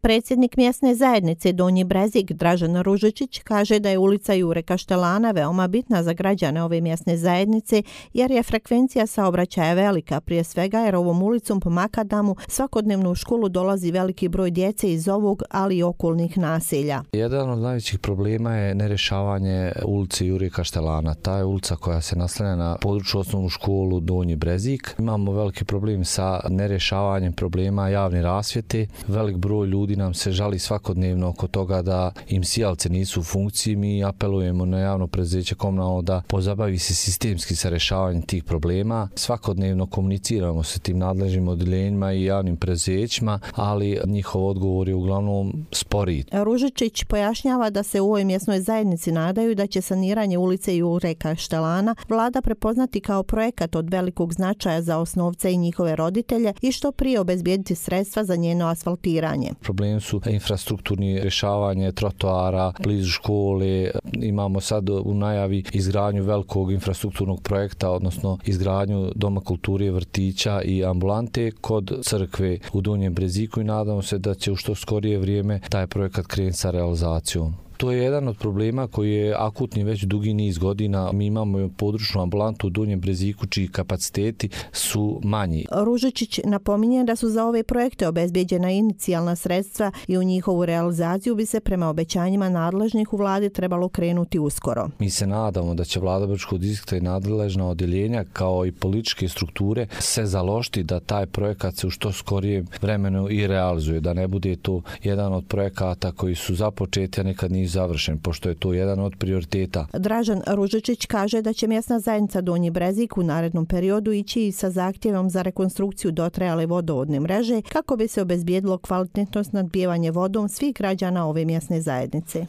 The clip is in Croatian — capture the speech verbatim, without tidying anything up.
Predsjednik mjesne zajednice Donji Brezik Dražen Ružičić kaže da je ulica Jure Kaštelana veoma bitna za građane ove mjesne zajednice jer je frekvencija saobraćaja velika, prije svega jer ovom ulicom po Makadamu svakodnevno u školu dolazi veliki broj djece iz ovog, ali i okolnih naselja. Jedan od najvećih problema je nerješavanje ulice Jure Kaštelana. Ta je ulica koja se naslanja na području osnovnu školu Donji Brezik. Imamo veliki problem sa nerješavanjem problema javne rasvjete. Velik broj ljudi nam se žali svakodnevno oko toga da im sijalce nisu u funkciji. Mi apelujemo na javno preduzeće komunalno da pozabavi se sistemski sa rješavanjem tih problema. Svakodnevno komuniciramo sa tim nadležnim odjeljenjima i javnim preduzećima, ali njihov odgovor je uglavnom sporiji. Ružičić pojašnjava da se u ovoj mjesnoj zajednici nadaju da će saniranje ulice Jure Kaštelana vlada prepoznati kao projekat od velikog značaja za osnovce i njihove roditelje i što prije obezbijediti sredstva za njeno asfaltiranje. Problem su infrastrukturni rješavanje trotoara blizu škole. Imamo sad u najavi izgradnju velikog infrastrukturnog projekta, odnosno izgradnju doma kulture, vrtića i ambulante kod crkve u Donjem Breziku i nadamo se da će u što skorije vrijeme taj projekat krenuti sa realizacijom. To je jedan od problema koji je akutni već dugi niz godina. Mi imamo područnu ambulantu u Donjem Breziku čiji kapaciteti su manji. Ružičić napominje da su za ove projekte obezbijeđena inicijalna sredstva i u njihovu realizaciju bi se prema obećanjima nadležnih u vladi trebalo krenuti uskoro. Mi se nadamo da će vlada Brčkog distrikta i nadležna odjeljenja kao i političke strukture se založiti da taj projekat se u što skorijem vremenu i realizuje, da ne bude to jedan od projekata koji su započeti, a nekad nisu završen, pošto je to jedan od prioriteta. Dražen Ružičić kaže da će mjesna zajednica Donji Brezik u narednom periodu ići i sa zahtjevom za rekonstrukciju dotrajale vodovodne mreže kako bi se obezbijedilo kvalitetno snabdijevanje vodom svih građana ove mjesne zajednice.